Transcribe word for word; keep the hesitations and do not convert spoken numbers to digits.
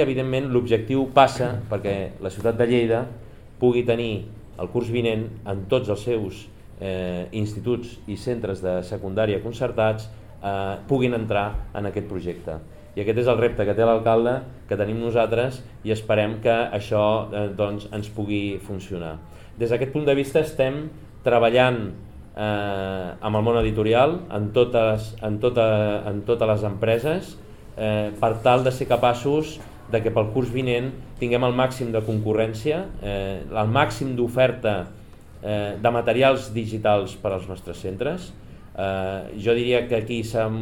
evidentment, l'objectiu passa perquè la ciutat de Lleida pugui tenir el curs vinent en tots els seus eh, instituts i centres de secundària concertats eh, puguin entrar en aquest projecte. I aquest és el repte que té l'alcalde, que tenim nosaltres, i esperem que això eh, doncs, ens pugui funcionar. Des d'aquest punt de vista estem treballant eh, amb el món editorial, en totes, en tota, en totes les empreses, eh, per tal de ser capaços de que pel curs vinent tinguem el màxim de concurrència, eh, el màxim d'oferta eh, de materials digitals per als nostres centres. Eh, jo diria que aquí s'ha